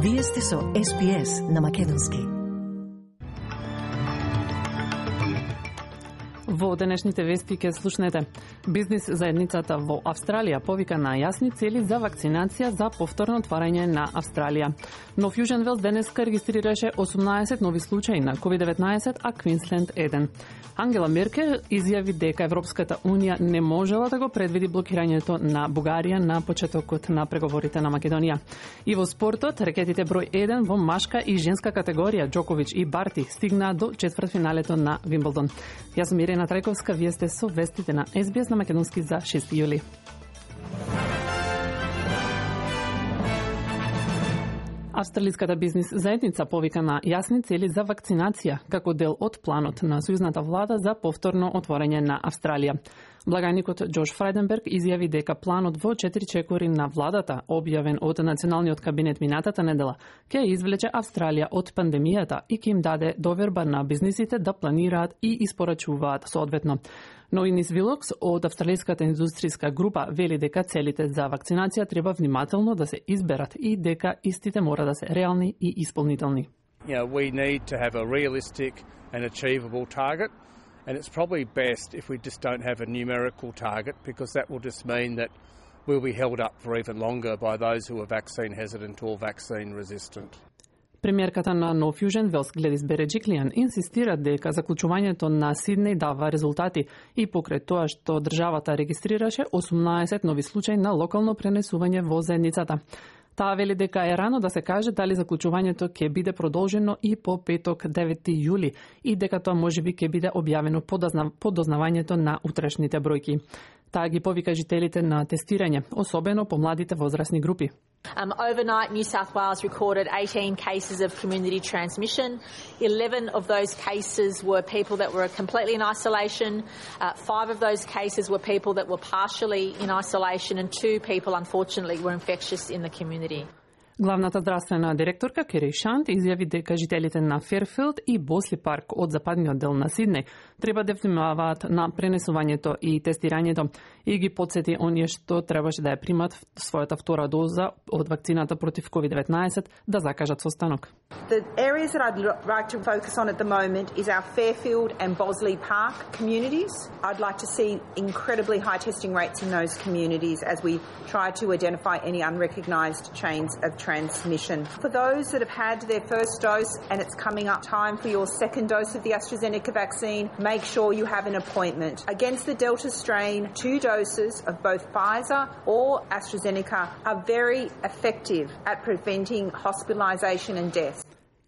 Вие сте со SPS на Македонски. Во денешните вести ке слушнете. Бизнис заедницата во Австралија повика на јасни цели за вакцинација за повторно отварање на Австралија. Но Фјужен Велс денеска регистрираше 18 нови случаи на COVID-19, а Квинсленд 1. Ангела Меркел изјави дека Европската Унија не можела да го предвиди блокирањето на Бугарија на почетокот на преговорите на Македонија. И во спортот, ракетите број 1 во машка и женска категорија Џоковиќ и Барти стигнаа до четвртфиналето на Вимблдон. Јас сум Ирена Трајковска, вие сте со вестите на SBS на Македонски за 6 јули. Австралиската бизнис заедница повика на јасни цели за вакцинација како дел од планот на сојузната влада за повторно отворање на Австралија. Благаникот Џош Фрајденберг изјави дека планот во 4 чекори на владата, објавен од Националниот кабинет минатата недела, ќе извлече Австралија од пандемијата и ќе им даде доверба на бизнисите да планираат и испорачуваат соодветно. Но Инис Вилокс од Австралиската индустријска група вели дека целите за вакцинација треба внимателно да се изберат и дека истите мора да се реални и исполнителни. We need to have a realistic and achievable target, and it's probably best if we just don't have a numerical target, because that will just mean that we'll be held up for even longer by those who are vaccine hesitant or vaccine resistant. Премиерката на No Fusion Велс Гледис Береджиклијан инсистира дека заклучувањето на Сиднеј дава резултати и покрај тоа што државата регистрираше 18 нови случаи на локално пренесување во заедницата. Таа вели дека е рано да се каже дали заклучувањето ќе биде продолжено и по петок 9 јули и дека тоа можеби ќе биде објавено по дознавањето на утрешните бројки. Таа ги повика жителите на тестирање, особено по младите возрастни групи. Overnight, New South Wales recorded 18 cases of community transmission. 11 of those cases were people that were completely in isolation. 5 of those cases were people that were partially in isolation, and 2 people, unfortunately, were infectious in the community. Главната здравствена директорка Кери Шант изјави дека жителите на Ферфилд и Босли парк од западниот дел на Сиднеј треба да внимаваат на пренесувањето и тестирањето и ги подсети оние што требаше да ја примат својата втора доза од вакцината против COVID-19 да закажат состанок. The areas that I'd like to focus on at the moment is our Fairfield and Bosley Park communities. I'd like to see incredibly high testing rates in those communities as we try to identify any unrecognised chains of transmission. For those that have had their first dose and it's coming up time for your second dose of the AstraZeneca vaccine, make sure you have an appointment. Against the Delta strain, 2 doses of both Pfizer or AstraZeneca are very effective at preventing hospitalisation and death.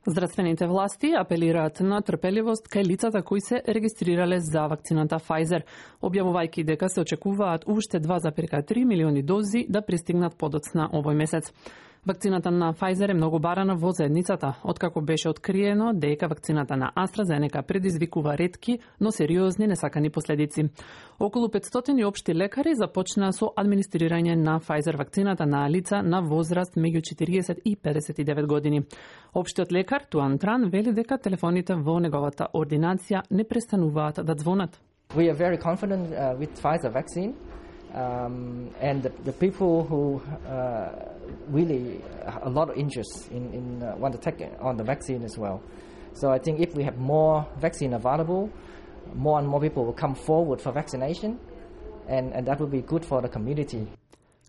Здравствените власти апелираат на трпеливост кај лицата кои се регистрирале за вакцината Pfizer, објавувајќи дека се очекуваат уште 2,3 милиони дози да пристигнат подоцна овој месец. Вакцината на Pfizer е многу барана во заедницата, откако беше откриено дека вакцината на AstraZeneca предизвикува ретки, но сериозни несакани последици. Околу 500 општи лекари започнаа со администрирање на Pfizer вакцината на лица на возраст меѓу 40 и 59 години. Општиот лекар Туан Тран вели дека телефоните во неговата ординација не престануваат да звонат. We are very confident with Pfizer vaccine. And the people who really a lot of interest in want to take on the vaccine as well. So I think if we have more vaccine available, more and more people will come forward for vaccination, and that will be good for the community.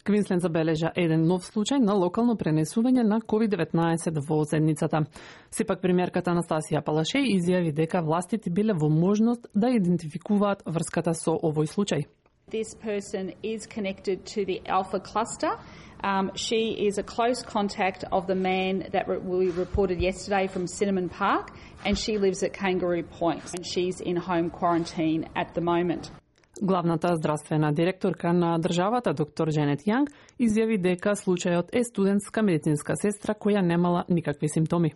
Квинсленд забележа еден нов случај на локално пренесување на COVID-19 во заедницата. Сепак премиерката Анастасија Палашеј изјави дека властите биле во можност да идентификуваат врската со овој случај. This person is connected to the Alpha cluster. She is a close contact of the man that we reported yesterday from Cinnamon Park, and she lives at Kangaroo Point, and she's in home quarantine at the moment. Главната здравствена директорка на државата, доктор Дженет Јанг, изјави дека случајот е студентска медицинска сестра која немала никакви симптоми.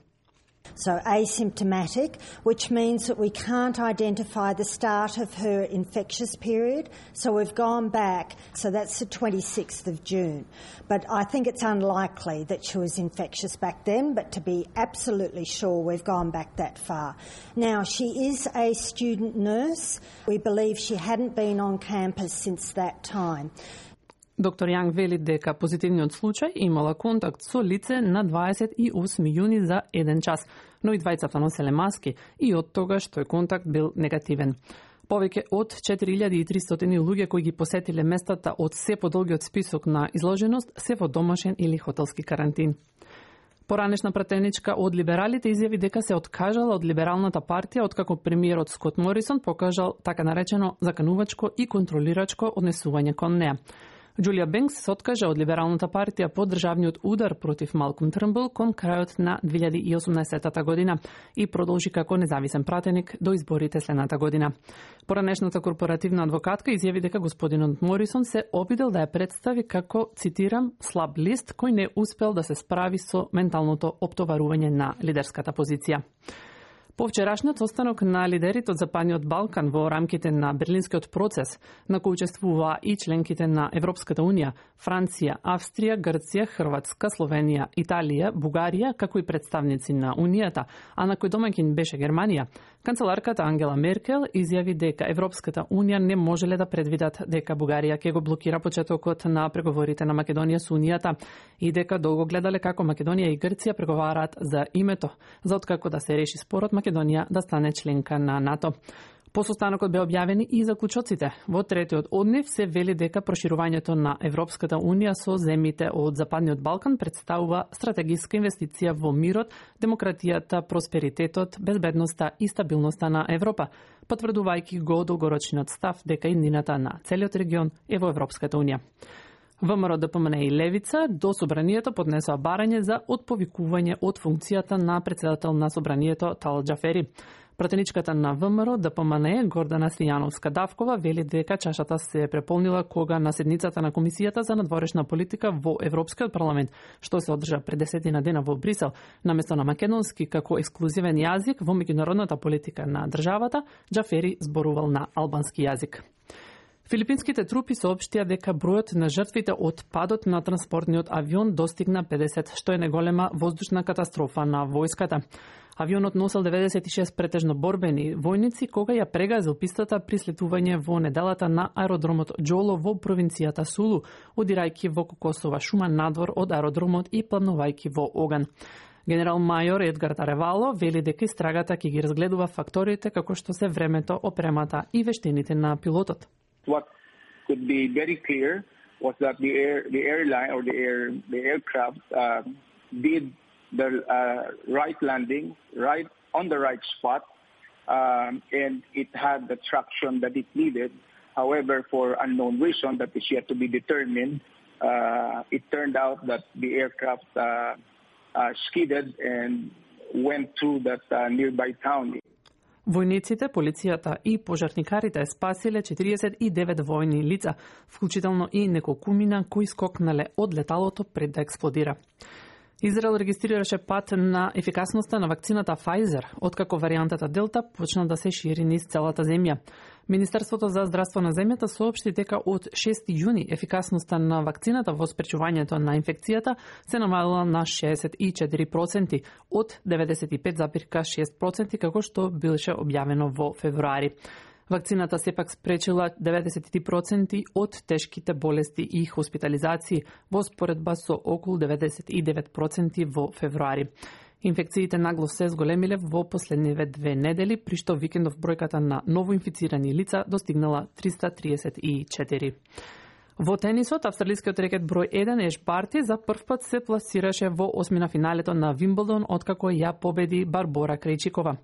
So asymptomatic, which means that we can't identify the start of her infectious period. So we've gone back, so that's the 26th of June. But I think it's unlikely that she was infectious back then, but to be absolutely sure, we've gone back that far. Now, she is a student nurse. We believe she hadn't been on campus since that time. Доктор Јанг вели дека позитивниот случај имала контакт со лице на 28 јуни за 1 час, но и двајцата носеле маски и од тогаш тој контакт бил негативен. Повеќе од 4300 луѓе кои ги посетиле местата од се подолгиот список на изложеност се во домашен или хотелски карантин. Поранешна пратеничка од либералите изјави дека се откажала од либералната партија откако премиерот Скот Морисон покажал така наречено заканувачко и контролирачко однесување кон неа. Џулија Бенкс се откажа од либералната партија по државниот удар против Малком Трнбул кон крајот на 2018 година и продолжи како независен пратеник до изборите следната година. Поранешната корпоративна адвокатка изјави дека господинот Морисон се обидел да ја представи како, цитирам, слаб лист кој не успел да се справи со менталното оптоварување на лидерската позиција. По вчерашниот состанок на лидерите од Западниот Балкан во рамките на Берлинскиот процес, на кој учествуваа и членките на Европската Унија, Франција, Австрија, Грција, Хрватска, Словенија, Италија, Бугарија, како и представници на Унијата, а на кој домаќин беше Германија, канцеларката Ангела Меркел изјави дека Европската Унија не можеле да предвидат дека Бугарија ќе го блокира почетокот на преговорите на Македонија со Унијата и дека долго гледале како Македонија и Грција преговараат за името, за откако да се реши спорот Македонија да стане членка на НАТО. По состанокот бе објавени и заклучоците. Во третиот од нив се вели дека проширувањето на Европската Унија со земјите од Западниот Балкан представува стратегиска инвестиција во мирот, демократијата, просперитетот, безбедноста и стабилноста на Европа, потврдувајќи го долгорочниот став дека иднината на целиот регион е во Европската Унија. ВМРО, ДПМН и Левица до Собранието поднесоа барање за отповикување од функцијата на председател на Собранието Талат Џафери. Пратеничката на ВМРО, ДПМН, Гордана Стојановска-Давкова, вели дека чашата се преполнила кога на седницата на Комисијата за надворешна политика во Европскиот парламент, што се одржа пред 10 дена во Брисел, наместо на македонски како ексклузивен јазик во меѓународната политика на државата, Џафери зборувал на албански јазик. Филипинските трупи соопштија дека бројот на жртвите од падот на транспортниот авион достигна 50, што е најголема воздушна катастрофа на војската. Авионот носел 96 претежно борбени војници кога ја прегазил пистата при слетување во неделата на аеродромот Џоло во провинцијата Сулу, одирајќи во кокосова шума надвор од аеродромот и пламнувајќи во оган. Генерал мајор Едгар Таревало вели дека истрагата ќе ги разгледува факторите како што се времето, опремата и вештините на пилотот. What could be very clear was that the airline or the aircraft did the right landing, right on the right spot, and it had the traction that it needed. However, for unknown reason that is yet to be determined, it turned out that the aircraft skidded and went through that nearby town. Војниците, полицијата и пожарникарите спасиле 49 војни лица, вклучително и неколкумина кои скокнале од леталото пред да експлодира. Израел регистрираше пат на ефикасноста на вакцината Pfizer, откако варијантата Делта почна да се шири низ целата земја. Министерството за здравство на земјата соопшти дека од 6 јуни ефикасноста на вакцината во спречувањето на инфекцијата се намалила на 64% од 95,6% како што беше објавено во февруари. Вакцината сепак спречила 90% од тешките болести и хоспитализации во споредба со околу 99% во февруари. Инфекциите нагло се зголемиле во последниве 2 недели, при што викендов бројката на новоинфицирани лица достигнала 334. Во тенисот, австралискиот рекет број 1 Еш Барти за прв пат се пласираше во осмина финалето на Вимблдон откако ја победи Барбора Крајчикова.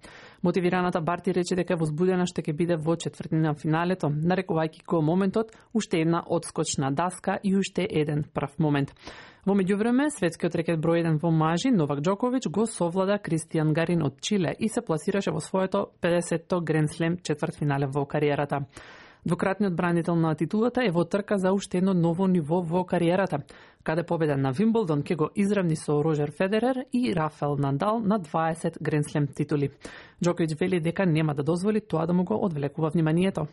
Мотивираната Барти рече дека возбудена што ќе биде во четвртина финалето, нарекувајќи го моментот уште една одскочна даска и уште еден прв момент. Во меѓувреме, светскиот рекет број 1 во мажи Новак Џоковиќ го совлада Кристијан Гарин од Чиле и се пласираше во своето 50-то Гранд Слем четвртфинале во кариерата. Двократниот бранител на титулата е во трка за уште едно ново ниво во кариерата, каде победа на Вимблдон ќе го изравни со Рожер Федерер и Рафел Надал на 20 Гранд Слем титули. Џоковиќ вели дека нема да дозволи тоа да му го одвлекува вниманието.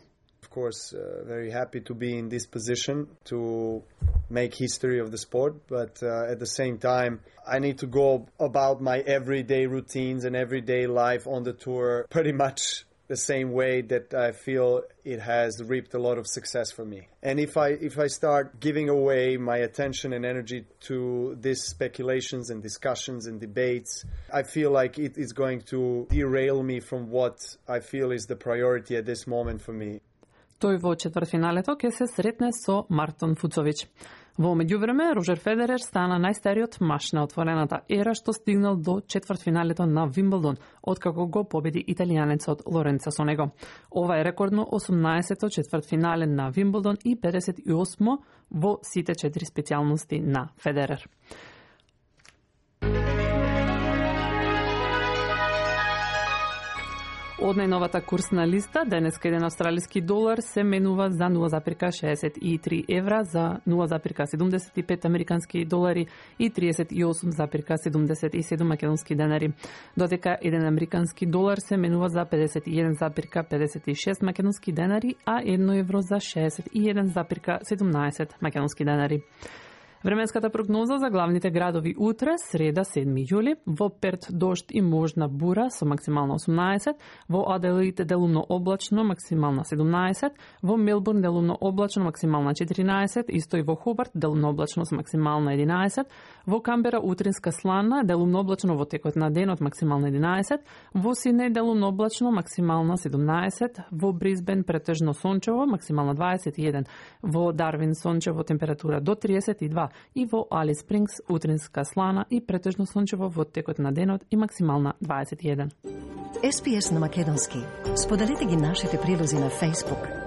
Of course, very happy to be in this position to make history of the sport, but at the same time, I need to go about my everyday routines and everyday life on the tour pretty much the same way that I feel it has reaped a lot of success for me. And if I start giving away my attention and energy to these speculations and discussions and debates, I feel like it is going to derail me from what I feel is the priority at this moment for me. Тој во четвртфиналето ќе се сретне со Мартин Фуцович. Во меѓувреме, Роџер Федерер стана најстариот маж на отворената ера што стигнал до четвртфиналето на Вимблдон, откако го победи италијанецот Лоренцо Сонего. Ова е рекордно 18-то четвртфинале на Вимблдон и 58-мо во сите 4 специјалности на Федерер. Од најновата курсна листа, денеска еден австралиски долар се менува за 0,63 евра, за 0,75 американски долари и 38,77 македонски денари. Додека еден американски долар се менува за 51,56 македонски денари, а 1 евро за 61,17 македонски денари. Временската прогноза за главните градови утре, среда 7 јули, во Перт дожд и можна бура со максимална 18, во Аделаид делумно облачно, максимална 17, во Мелбурн делумно облачно, максимална 14, исто и во Хобарт делумно облачно со максимална 11, во Камбера утринска слана, делумно облачно во текот на денот, максимална 11, во Сиднеј делумно облачно, максимална 17, во Брисбен претежно сончево, максимална 21, во Дарвин сончево температура до 32, и во Алис Спрингс утринска слана и претежно сончево во текот на денот и максимална 21. SPS на македонски. Споделете ги нашите прилози на Facebook.